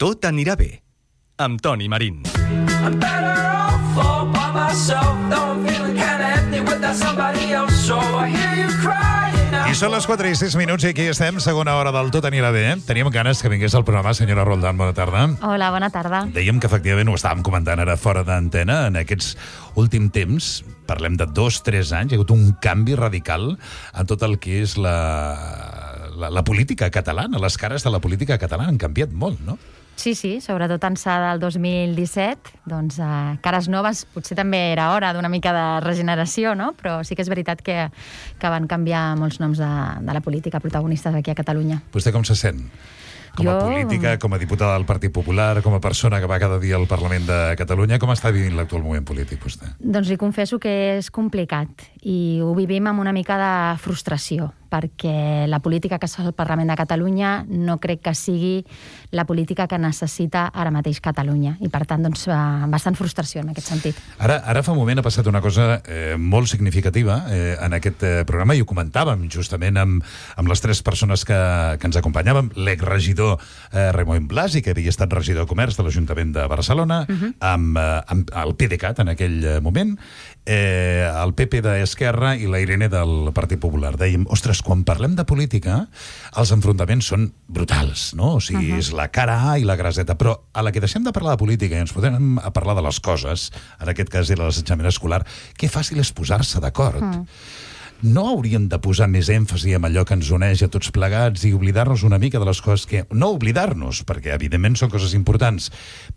Tot anirà bé, amb Toni Marín. I'm better off all by myself, though I'm feeling kinda empty without somebody else, so I hear you crying out. I són les 4 i 6 minuts i aquí estem, segona hora del Tot anirà bé. Teníem ganes que vingués al programa, senyora Roldán, bona tarda. Hola, bona tarda. Dèiem que efectivament ho estàvem comentant ara fora d'antena, en aquests últims temps, parlem de 2-3 anys, hi ha hagut un canvi radical en tot el que és la política catalana, les cares de la política catalana han canviat molt, no? Sí, sobretot ençà del 2017, doncs cares noves, potser també era hora d'una mica de regeneració, no? Però sí que és veritat que van canviar molts noms de la política protagonistes aquí a Catalunya. Vostè com se sent? Com a política, com a diputada del Partit Popular, com a persona que va cada dia al Parlament de Catalunya, com està vivint l'actual moment polític, vostè? Doncs li confesso que és complicat i ho vivim amb una mica de frustració, perquè la política que es fa al Parlament de Catalunya no crec que sigui la política que necessita ara mateix Catalunya. I, per tant, doncs, bastant frustració en aquest sentit. Ara fa un moment ha passat una cosa molt significativa en aquest programa, i ho comentàvem justament amb les 3 persones que ens acompanyaven, l'exregidor Raimon Blasi, que havia estat regidor de Comerç de l'Ajuntament de Barcelona, amb el PDeCAT en aquell moment, el PP d'Esquerra i la Irene del Partit Popular. Dèiem, ostres, quan parlem de política, els enfrontaments són brutals, no? O sigui, és la cara A i la graseta, però a la que deixem de parlar de política i ens podem parlar de les coses, en aquest cas era l'assetjament escolar, que fàcil és posar-se d'acord. No hauríem de posar més èmfasi en allò que ens uneix a tots plegats i oblidar-nos una mica de les coses que... No oblidar-nos, perquè evidentment són coses importants,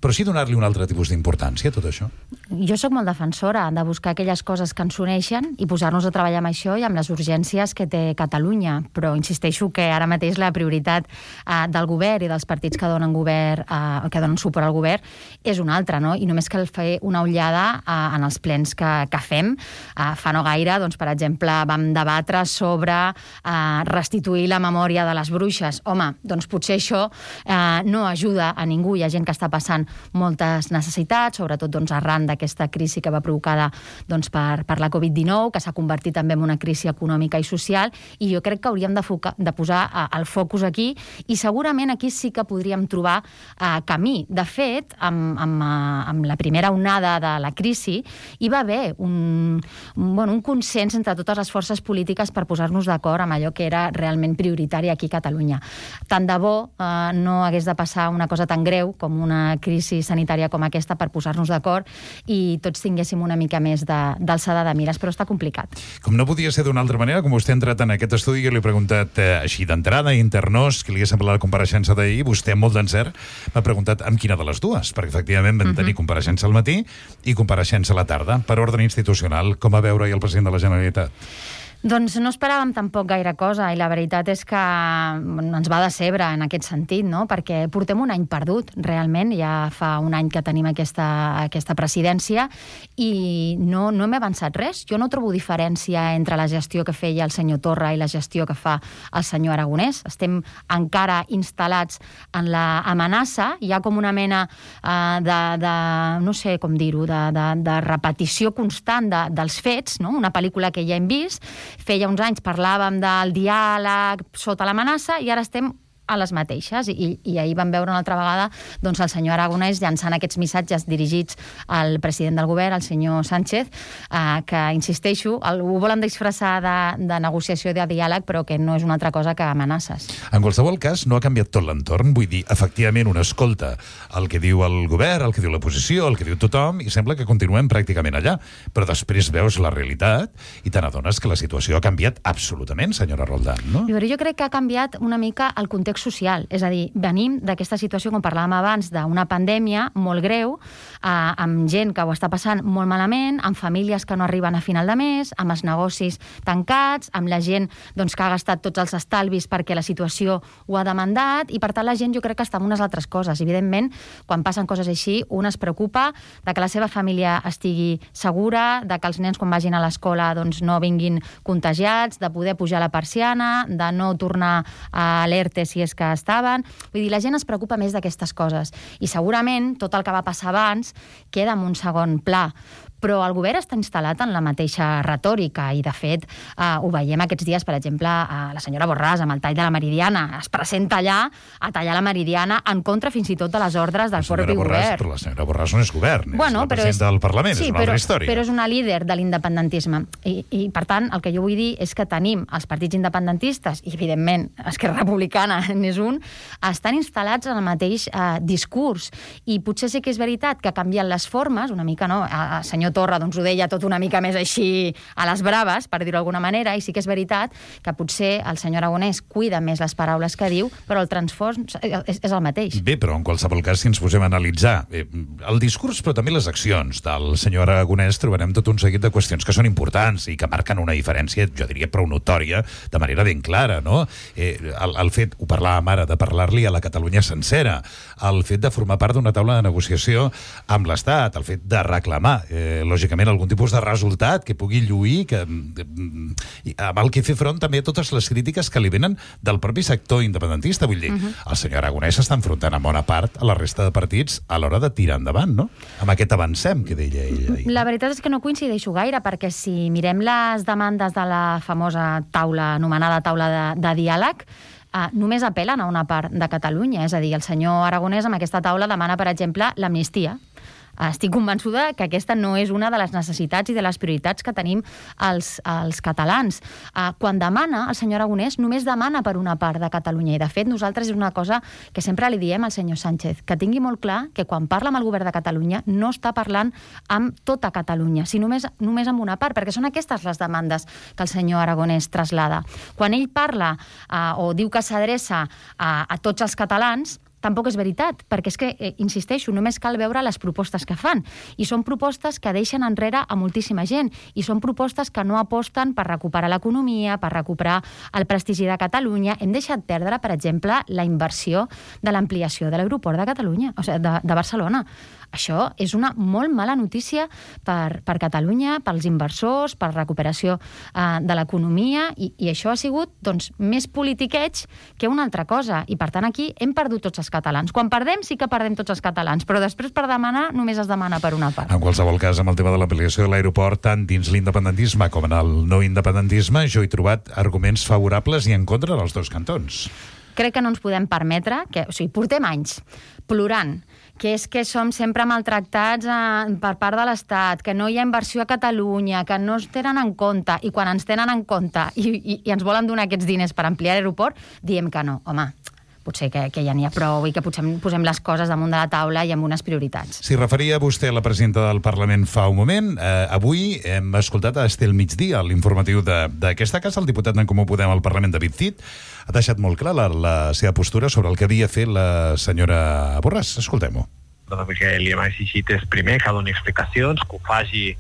però sí donar-li un altre tipus d'importància a tot això? Jo sóc molt defensora de buscar aquelles coses que ens uneixen i posar-nos a treballar amb això i amb les urgències que té Catalunya, però insisteixo que ara mateix la prioritat del govern i dels partits que donen suport al govern és una altra, no? I només cal fer una ullada en els plens que fem. Fa no gaire, doncs, per exemple, vam debatre sobre restituir la memòria de les bruixes. Home, doncs potser això no ajuda a ningú. Hi ha gent que està passant moltes necessitats, sobretot doncs, arran d'aquesta crisi que va provocada doncs, per la Covid-19, que s'ha convertit també en una crisi econòmica i social, i jo crec que hauríem de posar el focus aquí, i segurament aquí sí que podríem trobar camí. De fet, amb la primera onada de la crisi hi va haver un consens entre totes les forces polítiques per posar-nos d'acord amb allò que era realment prioritari aquí a Catalunya. Tant de bo no hagués de passar una cosa tan greu com una crisi sanitària com aquesta per posar-nos d'acord i tots tinguéssim una mica més d'alçada de mires, però està complicat. Com no podia ser d'una altra manera, com vostè ha entrat en aquest estudi, jo li he preguntat així d'entrada, internós, que li hagués semblat la compareixença d'ahir, vostè amb molt d'encert m'ha preguntat amb quina de les dues, perquè efectivament vam tenir compareixença al matí i compareixença a la tarda, per ordre institucional. Com va veure el president de la Generalitat? Doncs no esperàvem tampoc gaire cosa, i la veritat és que ens va decebre en aquest sentit, no? Perquè portem un any perdut, realment. Ja fa un any que tenim aquesta presidència i no hem avançat res. Jo no trobo diferència entre la gestió que feia el senyor Torra i la gestió que fa el senyor Aragonès. Estem encara instal·lats en l'amenaça. Hi ha com una mena no sé com dir-ho, de repetició constant dels fets, no? Una pel·lícula que ja hem vist. Feia uns anys parlàvem del diàleg sota l'amenaça i ara estem a les mateixes. I ahir vam veure una altra vegada doncs, el senyor Aragonès llançant aquests missatges dirigits al president del govern, el senyor Sánchez, que, insisteixo, ho volen disfressar de negociació i de diàleg, però que no és una altra cosa que amenaces. En qualsevol cas, no ha canviat tot l'entorn. Vull dir, efectivament, un escolta el que diu el govern, el que diu l'oposició, el que diu tothom, i sembla que continuem pràcticament allà. Però després veus la realitat i te n'adones que la situació ha canviat absolutament, senyora Roldán, no? Jo crec que ha canviat una mica el context social. És a dir, venim d'aquesta situació, com parlàvem abans, d'una pandèmia molt greu, amb gent que ho està passant molt malament, amb famílies que no arriben a final de mes, amb els negocis tancats, amb la gent doncs, que ha gastat tots els estalvis perquè la situació ho ha demandat, i per tant la gent jo crec que està amb unes altres coses. Evidentment, quan passen coses així, un es preocupa de que la seva família estigui segura, de que els nens quan vagin a l'escola doncs, no vinguin contagiats, de poder pujar la persiana, de no tornar a l'ERTE si és que estaven. Vull dir, la gent es preocupa més d'aquestes coses. I segurament tot el que va passar abans queda en un segon pla. Però el govern està instal·lat en la mateixa retòrica i, de fet, ho veiem aquests dies, per exemple, la senyora Borràs amb el tall de la Meridiana. Es presenta allà a tallar la Meridiana en contra fins i tot de les ordres del propi govern. Però la senyora Borràs no és govern, és la presidenta del Parlament, és una altra història. Però és una líder de l'independentisme. I, per tant, el que jo vull dir és que tenim els partits independentistes, i, evidentment, Esquerra Republicana n'és un, estan instal·lats en el mateix discurs. I potser sí que és veritat que canvien les formes, una mica, no? El senyor Torra doncs, ho deia tot una mica més així a les braves, per dir-ho d'alguna manera, i sí que és veritat que potser el senyor Aragonès cuida més les paraules que diu, però el transfons és el mateix. Bé, però en qualsevol cas, si ens posem a analitzar el discurs, però també les accions del senyor Aragonès, trobarem tot un seguit de qüestions que són importants i que marquen una diferència, jo diria, prou notòria, de manera ben clara, no? El fet, ho parlàvem ara, de parlar-li a la Catalunya sencera, el fet de formar part d'una taula de negociació amb l'Estat, el fet de reclamar, lògicament, algun tipus de resultat que pugui lluir, amb el que fer front també a totes les crítiques que li venen del propi sector independentista. Vull dir, el senyor Aragonès s'està enfrontant en bona part a la resta de partits a l'hora de tirar endavant, no? Amb aquest avancem que deia ell. La veritat és que no coincideixo gaire, perquè si mirem les demandes de la famosa taula, anomenada taula de diàleg, només apel·len a una part de Catalunya. És a dir, el senyor Aragonès amb aquesta taula demana, per exemple, l'amnistia. Estic convençuda que aquesta no és una de les necessitats i de les prioritats que tenim els catalans. Quan demana, el senyor Aragonès només demana per una part de Catalunya. I, de fet, nosaltres és una cosa que sempre li diem al senyor Sánchez, que tingui molt clar que quan parla amb el govern de Catalunya no està parlant amb tota Catalunya, sinó només amb una part, perquè són aquestes les demandes que el senyor Aragonès traslada. Quan ell parla o diu que s'adreça a tots els catalans, tampoc és veritat, perquè és que, insisteixo, només cal veure les propostes que fan. I són propostes que deixen enrere a moltíssima gent. I són propostes que no aposten per recuperar l'economia, per recuperar el prestigi de Catalunya. Hem deixat perdre, per exemple, la inversió de l'ampliació de l'aeroport de Catalunya, o sigui, de Barcelona. Això és una molt mala notícia per Catalunya, pels inversors, per la recuperació de l'economia, i això ha sigut doncs, més politiqueig que una altra cosa. I, per tant, aquí hem perdut tots els catalans. Quan perdem, sí que perdem tots els catalans, però després per demanar només es demana per una part. En qualsevol cas, amb el tema de l'ampliació de l'aeroport, tant dins l'independentisme com en el no independentisme, jo he trobat arguments favorables i en contra dels dos cantons. Crec que no ens podem permetre, portem anys plorant, que és que som sempre maltractats per part de l'Estat, que no hi ha inversió a Catalunya, que no es tenen en compte, i quan ens tenen en compte i ens volen donar aquests diners per ampliar l'aeroport, diem que no. Home, potser que ja n'hi ha prou i que potser posem les coses damunt de la taula i amb unes prioritats. Si referia vostè a la presidenta del Parlament fa un moment, avui hem escoltat a Estel Migdia, l'informatiu d'aquesta casa, el diputat d'en Comú Podem al Parlament, David Cid, ha deixat molt clar la seva postura sobre el que havia fet la senyora Borràs. Escoltem-ho. El que li hem exigit és, primer, que doni explicacions, que ho faci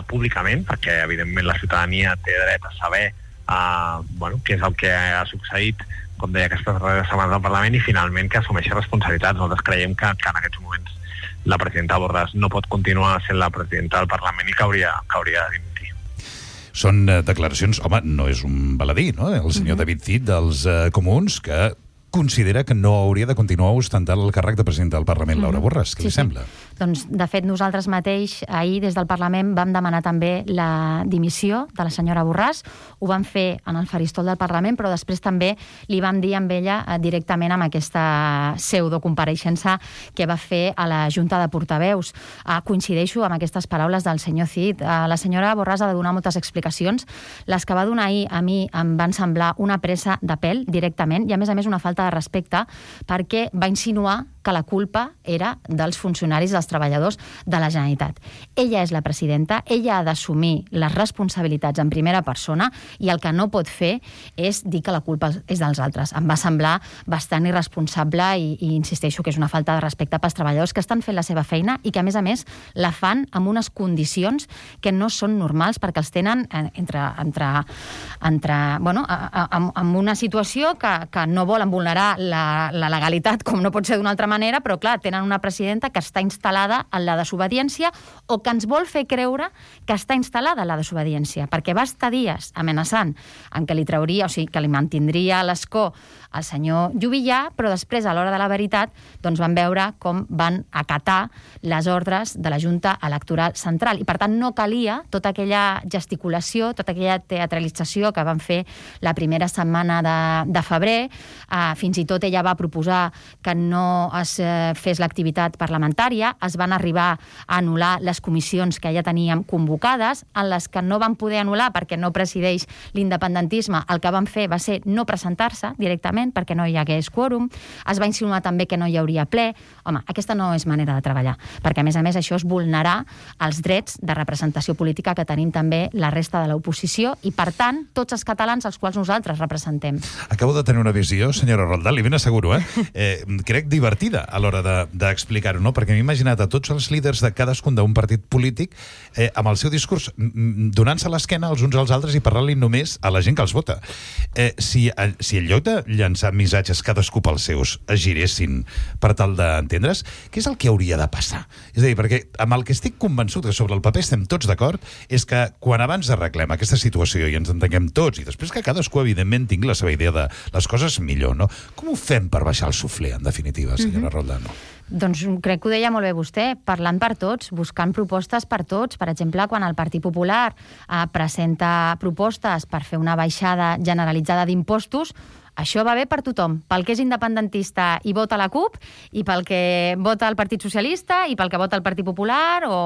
públicament, perquè, evidentment, la ciutadania té dret a saber què és el que ha succeït, com deia, aquestes darreres setmanes al Parlament, i finalment que assumeixi responsabilitats. Nosaltres creiem que en aquests moments la presidenta Borràs no pot continuar sent la presidenta del Parlament i que hauria de dimitir. Són declaracions... Home, no és un baladí, no? El senyor David Cid dels Comuns, que considera que no hauria de continuar ostentant el càrrec de presidenta del Parlament, Laura Borràs. Què li sembla? Doncs, de fet, nosaltres mateix, ahir, des del Parlament, vam demanar també la dimissió de la senyora Borràs. Ho vam fer en el faristol del Parlament, però després també li vam dir amb ella directament amb aquesta pseudocompareixença que va fer a la Junta de Portaveus. Coincideixo amb aquestes paraules del senyor Cid. La senyora Borràs ha de donar moltes explicacions. Les que va donar ahir a mi em van semblar una presa de pèl directament i, a més, una falta de respecte, perquè va insinuar que la culpa era dels funcionaris, dels treballadors de la Generalitat. Ella és la presidenta, ella ha d'assumir les responsabilitats en primera persona i el que no pot fer és dir que la culpa és dels altres. Em va semblar bastant irresponsable i insisteixo que és una falta de respecte pels treballadors que estan fent la seva feina i que, a més, la fan amb unes condicions que no són normals perquè els tenen amb una situació que no volen vulnerar la legalitat, com no pot ser d'una altra manera, manera, però clar, tenen una presidenta que està instal·lada en la desobediència o que ens vol fer creure que està instal·lada en la desobediència, perquè va estar dies amenaçant en què li trauria, o sigui, que li mantindria l'escó al senyor Juvillà, però després, a l'hora de la veritat, doncs van veure com van acatar les ordres de la Junta Electoral Central. I, per tant, no calia tota aquella gesticulació, tota aquella teatralització que van fer la primera setmana de febrer. Fins i tot ella va proposar que no es fes l'activitat parlamentària. Es van arribar a anul·lar les comissions que ja teníem convocades, en les que no van poder anul·lar perquè no presideix l'independentisme. El que van fer va ser no presentar-se directament perquè no hi hagués quòrum. Es va insinuar també que no hi hauria ple. Home, aquesta no és manera de treballar, perquè a més això és vulnerar els drets de representació política que tenim també la resta de l'oposició i, per tant, tots els catalans als quals nosaltres representem. Acabo de tenir una visió, senyora Roldán, li ben asseguro, crec divertida a l'hora d'explicar-ho, no? Perquè m'he imaginat a tots els líders de cadascun d'un partit polític amb el seu discurs donant-se l'esquena els uns als altres i parlant-li només a la gent que els vota. Si en lloc de llançar missatges cadascú pels seus es giressin per tal d'entendre's, què és el que hauria de passar? És a dir, perquè amb el que estic convençut que sobre el paper estem tots d'acord és que quan abans arreglem aquesta situació i ens entenguem tots i després que cadascú evidentment tingui la seva idea de les coses millor, no? Com ho fem per baixar el suflé, en definitiva, senyora Roldán? Doncs crec que ho deia molt bé vostè, parlant per tots, buscant propostes per tots. Per exemple, quan el Partit Popular presenta propostes per fer una baixada generalitzada d'impostos, això va bé per tothom, pel que és independentista i vota la CUP, i pel que vota el Partit Socialista, i pel que vota el Partit Popular, o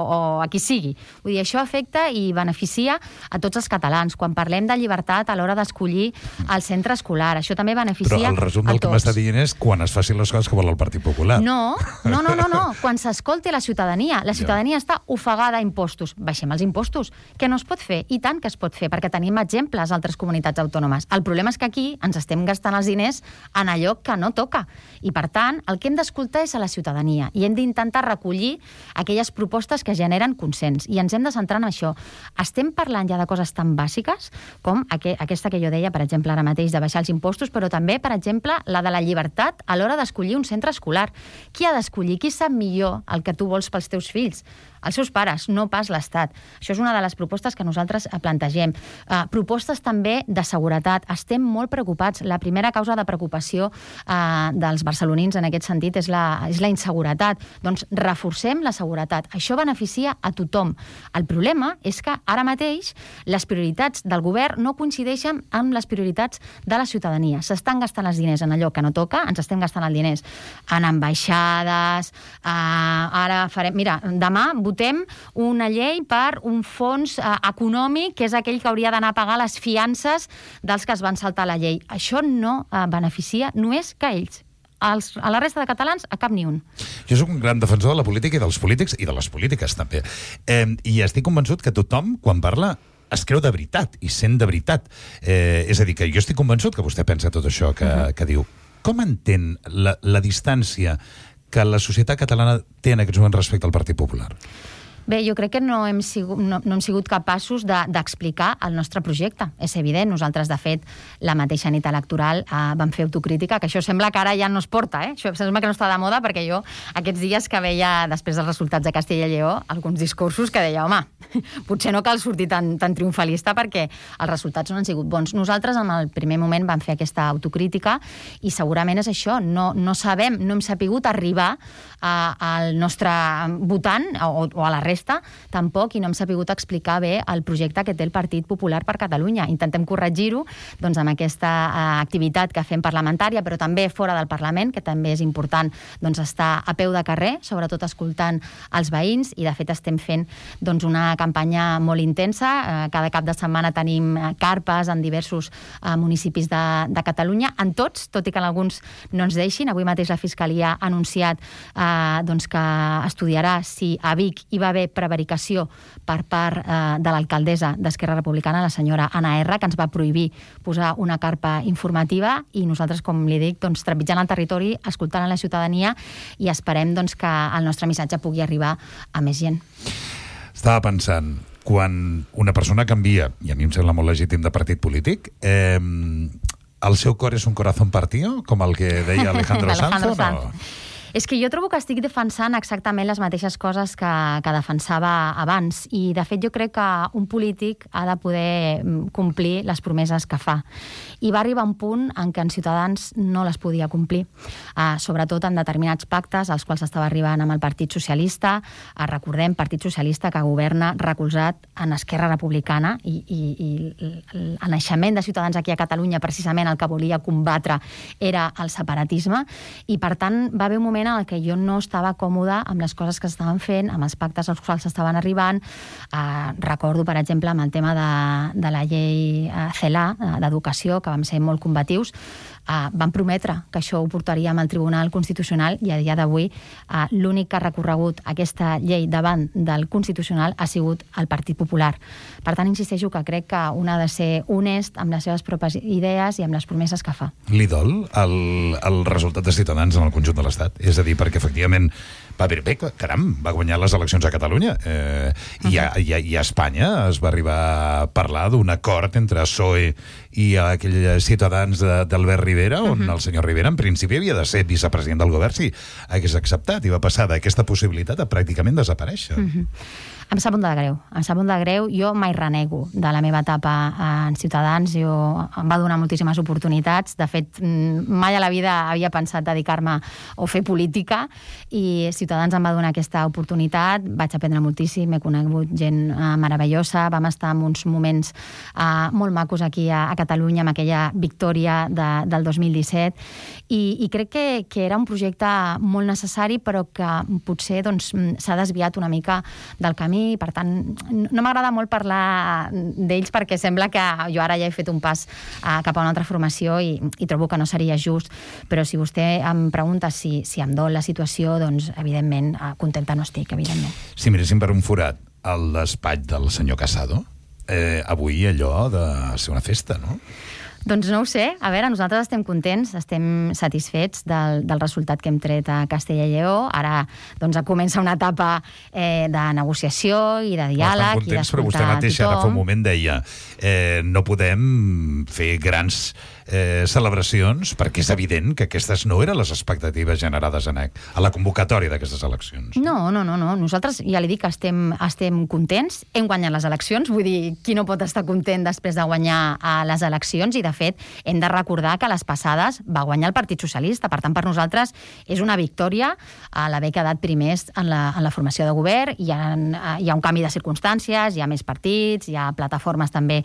a qui sigui. Vull dir, això afecta i beneficia a tots els catalans. Quan parlem de llibertat a l'hora d'escollir el centre escolar, això també beneficia a tots. Però el resum del que m'està dient és quan es facin les coses que vol el Partit Popular. No. Quan s'escolti la ciutadania. La ciutadania està ofegada a impostos. Baixem els impostos, que no es pot fer, i tant que es pot fer, perquè tenim exemples a altres comunitats autònomes. El problema és que aquí ens estem gastant els diners en allò que no toca. I, per tant, el que hem d'escoltar és a la ciutadania i hem d'intentar recollir aquelles propostes que generen consens. I ens hem de centrar en això. Estem parlant ja de coses tan bàsiques com aquesta que jo deia, per exemple, ara mateix, de baixar els impostos, però també, per exemple, la de la llibertat a l'hora d'escollir un centre escolar. Qui ha d'escollir? Qui sap millor el que tu vols pels teus fills? Els seus pares, no pas l'Estat. Això és una de les propostes que nosaltres plantegem. Propostes també de seguretat. Estem molt preocupats. La primera causa de preocupació dels barcelonins en aquest sentit és la inseguretat. Doncs reforcem la seguretat. Això beneficia a tothom. El problema és que ara mateix les prioritats del govern no coincideixen amb les prioritats de la ciutadania. S'estan gastant els diners en allò que no toca, ens estem gastant els diners en ambaixades, ara farem... Mira, demà votem una llei per un fons econòmic, que és aquell que hauria d'anar a pagar les fiances dels que es van saltar la llei. Això no beneficia només que ells. A la resta de catalans, a cap ni un. Jo soc un gran defensor de la política i dels polítics i de les polítiques, també. I estic convençut que tothom, quan parla, es creu de veritat i sent de veritat. És a dir, que jo estic convençut que vostè pensa tot això que diu. Com entén la distància que la societat catalana té en aquests moments respecte al Partit Popular? Bé, jo crec que no hem sigut capaços d'explicar el nostre projecte. És evident, nosaltres, de fet, la mateixa nit electoral vam fer autocrítica, que això sembla que ara ja no es porta, Això sembla que no està de moda, perquè jo aquests dies que veia, després dels resultats de Castella i Lleó, alguns discursos que deia, home, potser no cal sortir tan triomfalista perquè els resultats no han sigut bons. Nosaltres, en el primer moment, vam fer aquesta autocrítica i segurament és això, no hem sapigut arribar al nostre votant o a la resta, tampoc, i no hem sapigut explicar bé el projecte que té el Partit Popular per Catalunya. Intentem corregir-ho doncs, amb aquesta activitat que fem parlamentària, però també fora del Parlament, que també és important doncs, estar a peu de carrer, sobretot escoltant els veïns, i de fet estem fent doncs, una campanya molt intensa. Cada cap de setmana tenim carpes en diversos municipis de Catalunya, en tots, tot i que en alguns no ens deixin. Avui mateix la Fiscalia ha anunciat doncs, que estudiarà si a Vic hi va haver prevaricació per part de l'alcaldessa d'Esquerra Republicana, la senyora Anna R, que ens va prohibir posar una carpa informativa, i nosaltres, com li dic, doncs, trepitjant el territori, escoltant la ciutadania, i esperem doncs, que el nostre missatge pugui arribar a més gent. Estava pensant, quan una persona canvia, i a mi em sembla molt legítim de partit polític, el seu cor és un corazón partido, com el que deia Alejandro Sanz, o no? És que jo trobo que estic defensant exactament les mateixes coses que defensava abans, i de fet jo crec que un polític ha de poder complir les promeses que fa. I va arribar un punt en què en Ciutadans no les podia complir, sobretot en determinats pactes als quals estava arribant amb el Partit Socialista. Recordem, Partit Socialista que governa recolzat en Esquerra Republicana, i el naixement de Ciutadans aquí a Catalunya precisament el que volia combatre era el separatisme, i per tant va haver un moment en què jo no estava còmoda amb les coses que s'estaven fent, amb els pactes als quals estaven arribant. Recordo, per exemple, amb el tema de la llei CELA, d'educació, que vam ser molt combatius. Van prometre que això ho portaríem al Tribunal Constitucional, i a dia d'avui l'únic que ha recorregut aquesta llei davant del Constitucional ha sigut el Partit Popular. Per tant, insisteixo que crec que un ha de ser honest amb les seves pròpies idees i amb les promeses que fa. Li dol el resultat de Ciutadans en el conjunt de l'Estat? És a dir, perquè efectivament va dir, bé, caram, va guanyar les eleccions a Catalunya, i a Espanya es va arribar a parlar d'un acord entre PSOE i aquells Ciutadans d'Albert Rivera, on el senyor Rivera en principi havia de ser vicepresident del govern si hagués acceptat, i va passar d'aquesta possibilitat a pràcticament desaparèixer. Em sap molt de greu, Jo mai renego de la meva etapa en Ciutadans. Em va donar moltíssimes oportunitats. De fet, mai a la vida havia pensat dedicar-me o fer política, i Ciutadans em va donar aquesta oportunitat. Vaig aprendre moltíssim, he conegut gent meravellosa, vam estar en uns moments molt macos aquí a Catalunya, amb aquella victòria del 2017, i crec que era un projecte molt necessari, però que potser s'ha desviat una mica del camí. Per tant, no m'agrada molt parlar d'ells, perquè sembla que jo ara ja he fet un pas cap a una altra formació, i trobo que no seria just. Però si vostè em pregunta si em dol la situació, doncs evidentment contenta no estic, evidentment. Si miréssim per un forat al despatx del senyor Casado, avui allò de ser una festa, no? Doncs no ho sé. A veure, nosaltres estem contents, estem satisfets del resultat que hem tret a Castella i Lleó. Ara comença una etapa de negociació i de diàleg i d'escoltar a tothom. Però vostè mateixa ara fa un moment deia no podem fer grans celebracions, perquè és evident que aquestes no eren les expectatives generades a la convocatòria d'aquestes eleccions. No. Nosaltres, ja li dic, estem contents. Hem guanyat les eleccions, vull dir, qui no pot estar content després de guanyar les eleccions? I, de fet, hem de recordar que les passades va guanyar el Partit Socialista. Per tant, per nosaltres és una victòria l'haver quedat primers en la formació de govern. Hi ha un canvi de circumstàncies, hi ha més partits, hi ha plataformes també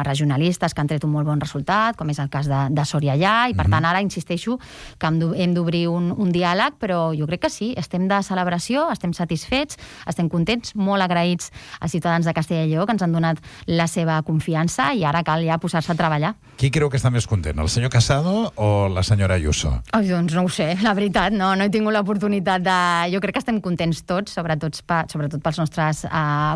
regionalistes que han tret un molt bon resultat, com és el cas de Soria Allà, i per tant ara insisteixo que hem d'obrir un diàleg, però jo crec que sí, estem de celebració, estem satisfets, estem contents, molt agraïts als ciutadans de Castella i Lleó que ens han donat la seva confiança, i ara cal ja posar-se a treballar. Qui creu que està més content, el senyor Casado o la senyora Ayuso? Doncs no ho sé, la veritat, no he tingut l'oportunitat de... Jo crec que estem contents tots, sobretot pels nostres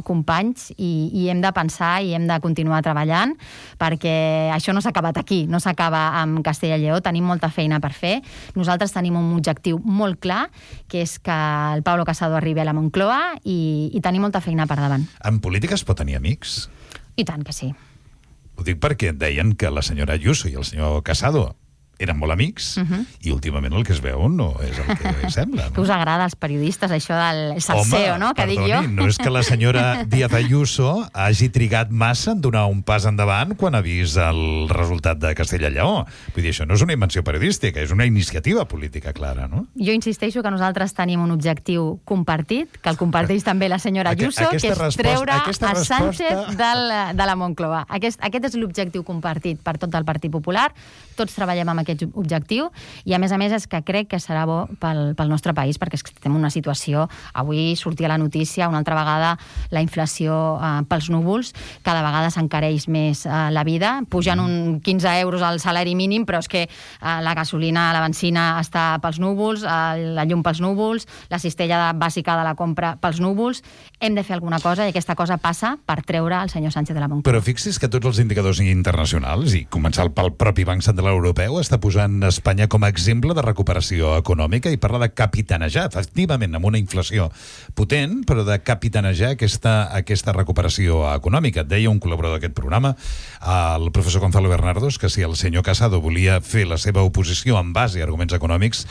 companys, i hem de pensar i hem de continuar treballant, perquè això no s'ha acabat aquí, no s'acaba amb Castella i Lleó, tenim molta feina per fer. Nosaltres tenim un objectiu molt clar, que és que el Pablo Casado arribi a la Moncloa, i tenim molta feina per davant. En política es pot tenir amics? I tant que sí. Ho dic perquè deien que la senyora Ayuso i el senyor Casado eren molt amics, i últimament el que es veu no és el que sembla. No? Que us agrada als periodistes, això del salseo, no? Que dic jo. No és que la senyora Díaz Ayuso hagi trigat massa en donar un pas endavant quan ha vist el resultat de Castella i Lleó. Vull dir, això no és una invenció periodística, és una iniciativa política clara, no? Jo insisteixo que nosaltres tenim un objectiu compartit, que el comparteix també la senyora Ayuso, que és treure a Sánchez de la Moncloa. Aquest és l'objectiu compartit per tot el Partit Popular. Tots treballem amb aquest objectiu, i a més és que crec que serà bo pel nostre país, perquè estem en una situació, avui sortia la notícia una altra vegada, la inflació pels núvols, cada vegada s'encareix més la vida, pugen un 15 euros al salari mínim, però és que la gasolina, la benzina està pels núvols, la llum pels núvols, la cistella bàsica de la compra pels núvols. Hem de fer alguna cosa, i aquesta cosa passa per treure el senyor Sánchez de la Moncloa. Però fixi's que tots els indicadors internacionals, i començant pel propi Banc Central Europeu, està posant Espanya com a exemple de recuperació econòmica i parla de capitanejar, efectivament, amb una inflació potent, però de capitanejar aquesta recuperació econòmica. Deia un col·laborador d'aquest programa, el professor Gonzalo Bernardos, que si el senyor Casado volia fer la seva oposició en base a arguments econòmics,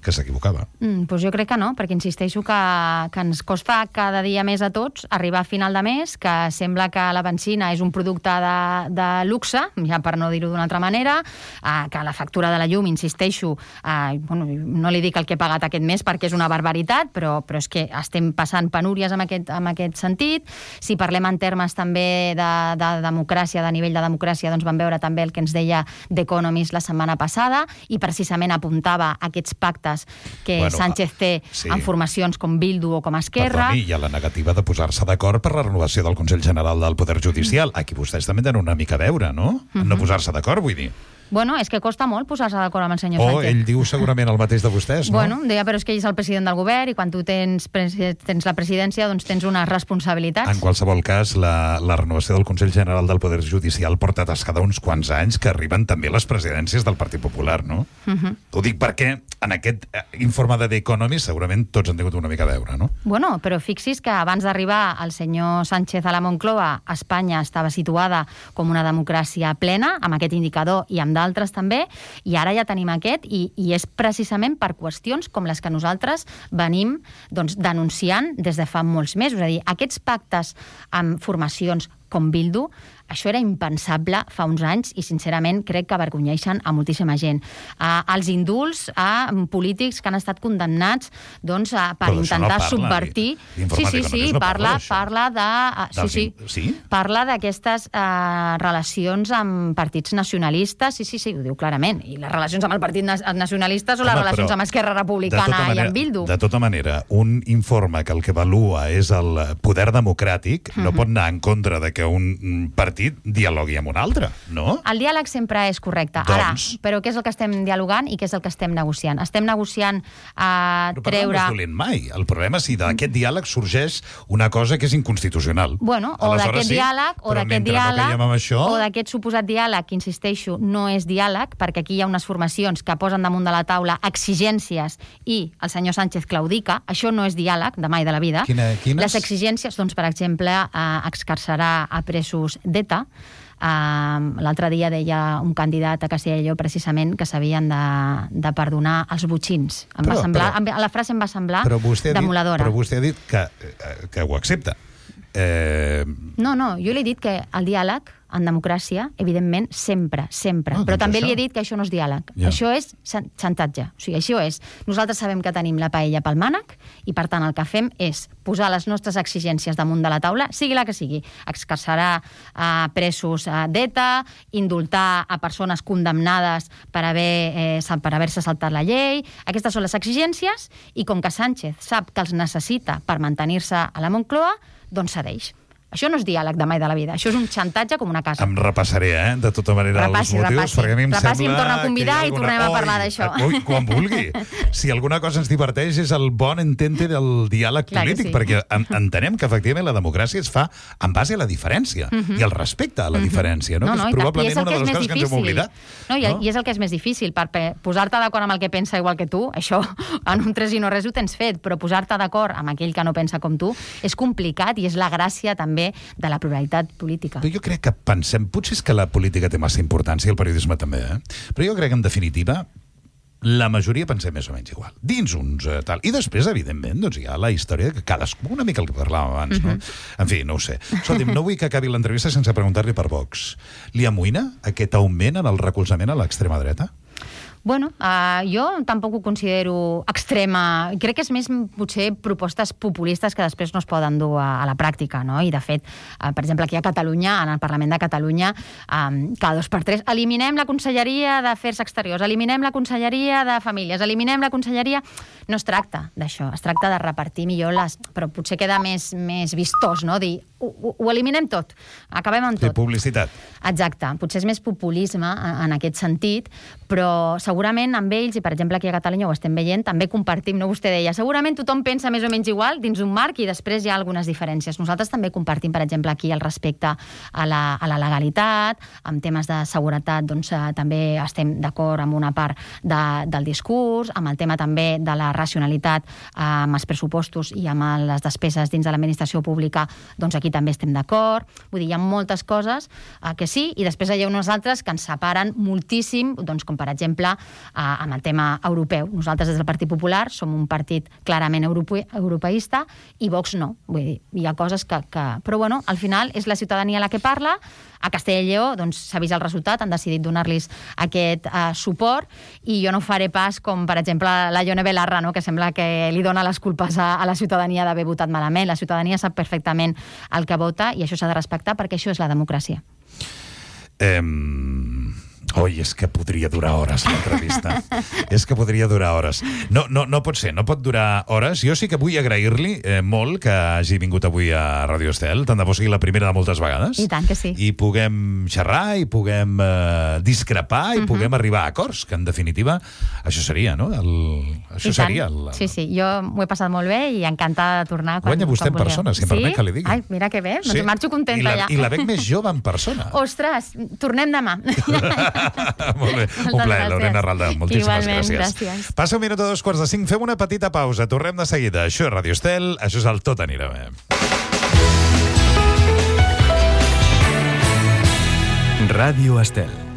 que s'equivocava. Doncs jo crec que no, perquè insisteixo que ens costa cada dia més a tots arribar a final de mes, que sembla que la benzina és un producte de luxe, ja per no dir-ho d'una altra manera, que la factura de la llum, insisteixo, no li dic el que he pagat aquest mes perquè és una barbaritat, però és que estem passant penúries en aquest sentit. Si parlem en termes també de democràcia, de nivell de democràcia, doncs vam veure també el que ens deia The Economist la setmana passada, i precisament apuntava aquests pactes que Sánchez té en formacions com Bildu o com Esquerra. Perdoni, hi ha la negativa de posar-se d'acord per la renovació del Consell General del Poder Judicial. Aquí vostès també tenen una mica a veure, no? No posar-se d'acord, vull dir. Bueno, és que costa molt posar-se d'acord amb el senyor Sánchez. Ell diu segurament el mateix de vostès, no? Bueno, deia, però és que ell és el president del govern i quan tu tens la presidència doncs tens unes responsabilitats. En qualsevol cas, la renovació del Consell General del Poder Judicial porta atascada uns quants anys que arriben també les presidències del Partit Popular, no? Ho dic perquè en aquest informe de The Economist segurament tots han tingut una mica a veure, no? Bueno, però fixis que abans d'arribar el senyor Sánchez a la Moncloa, Espanya estava situada com una democràcia plena, amb aquest indicador i amb d'altres també, i ara ja tenim aquest, i és precisament per qüestions com les que nosaltres venim denunciant des de fa molts mesos. És a dir, aquests pactes amb formacions com Bildu, això era impensable fa uns anys i, sincerament, crec que avergonyeixen a moltíssima gent. Els indults a polítics que han estat condemnats per intentar subvertir... Parla d'aquestes relacions amb partits nacionalistes, sí, ho diu clarament, i les relacions amb el Partit Nacionalistes o les relacions amb Esquerra Republicana i amb Bildu. De tota manera, un informe que el que avalua és el poder democràtic no pot anar en contra de que un partit dialogui amb un altre, no? El diàleg sempre és correcte. Ara, però què és el que estem dialogant i què és el que estem negociant? Estem negociant treure... Però no és dolent mai. El problema és si d'aquest diàleg sorgeix una cosa que és inconstitucional. Bueno, o d'aquest diàleg, o d'aquest suposat diàleg, que insisteixo, no és diàleg, perquè aquí hi ha unes formacions que posen damunt de la taula exigències i el senyor Sánchez claudica. Això no és diàleg, de mai de la vida. Quines? Les exigències, doncs, per exemple, excarcerar a presos d'ETA. L'altre dia deia un candidat a Castella i Lleó precisament que s'havien de perdonar els botxins. La frase em va semblar demoledora. Però vostè ha dit que ho accepta. No, jo li he dit que el diàleg en democràcia, evidentment, sempre. Però també li he dit que això no és diàleg. Això és xantatge. O sigui, això és... Nosaltres sabem que tenim la paella pel mànec i, per tant, el que fem és posar les nostres exigències damunt de la taula, sigui la que sigui. Excarcerar presos d'ETA, indultar a persones condemnades per haver-se saltat la llei. Aquestes són les exigències i, com que Sánchez sap que els necessita per mantenir-se a la Moncloa, doncs cedeix. Això no és diàleg de mai de la vida, això és un xantatge com una casa. Em repassaré, de tota manera, els motius, perquè a mi em sembla... Repassi, em torna a convidar i tornem a parlar d'això. Quan vulgui. Si alguna cosa ens diverteix és el bon entente del diàleg polític, perquè entenem que, efectivament, la democràcia es fa en base a la diferència i el respecte a la diferència, no? Que és probablement una de les coses que ens hem oblidat. I és el que és més difícil, perquè posar-te d'acord amb el que pensa igual que tu, això, en un 3 i no res ho tens fet, però posar-te d'acord amb aquell que no pensa com tu és complicat i és la gràcia també de la pluralitat política. Però jo crec que pensem, potser és que la política té massa importància i el periodisme també, però jo crec que en definitiva la majoria pensem més o menys igual. Dins uns tal. I després, evidentment, doncs hi ha la història que cadascú, una mica el que parlàvem abans, no? En fi, no ho sé. Escolti'm, no vull que acabi l'entrevista sense preguntar-li per Vox. Li amoïna aquest augment en el recolzament a l'extrema dreta? Bueno, jo tampoc ho considero extrema. Crec que és més, potser, propostes populistes que després no es poden dur a la pràctica, no? I, de fet, per exemple, aquí a Catalunya, en el Parlament de Catalunya, cada 2 per 3, eliminem la Conselleria d'Afers Exteriors, eliminem la Conselleria de Famílies, eliminem la Conselleria... No es tracta d'això, es tracta de repartir millor les... Però potser queda més vistós, no? Dir, ho eliminem tot, acabem amb tot. Fer publicitat. Exacte, potser és més populisme en aquest sentit, però segurament amb ells, i per exemple aquí a Catalunya ho estem veient, també compartim, no? Vostè deia, segurament tothom pensa més o menys igual dins un marc i després hi ha algunes diferències. Nosaltres també compartim, per exemple, aquí el respecte a la legalitat, amb temes de seguretat, doncs també estem d'acord amb una part del discurs, amb el tema també de la racionalitat amb els pressupostos i amb les despeses dins de l'administració pública, doncs aquí també estem d'acord. Vull dir, hi ha moltes coses que sí, i després hi ha unes altres que ens separen moltíssim, doncs com per exemple amb el tema europeu. Nosaltres, des del Partit Popular, som un partit clarament europeista i Vox no. Vull dir, hi ha coses que... Però, bueno, al final és la ciutadania la que parla. A Castella i Lleó doncs, s'ha vist el resultat, han decidit donar-los aquest suport i jo no faré pas com, per exemple, la Ione Belarra, no? Que sembla que li dona les culpes a la ciutadania d'haver votat malament. La ciutadania sap perfectament el que vota i això s'ha de respectar perquè això és la democràcia. Oi, és que podria durar hores l'entrevista. És que podria durar hores. No pot ser, no pot durar hores. Jo sí que vull agrair-li molt que hagi vingut avui a Radio Estel, tant de bo sigui la primera de moltes vegades. I tant que sí. I puguem xerrar, i puguem discrepar, i puguem arribar a acords, que en definitiva això seria, no? Això seria... Sí, jo m'ho he passat molt bé i encantada de tornar quan guanya vostè en persona, si em permet que li digui. Ai, mira que bé, doncs marxo contenta ja. I la veig més jove en persona. Ostres, tornem demà. Molt bé, un plaer, Lorena Ralda. Moltíssimes gràcies. Passa 1 minut a 2:45, fem una petita pausa, tornem de seguida. Això és Radio Estel, això és el Tot anirà bé. Radio Estel.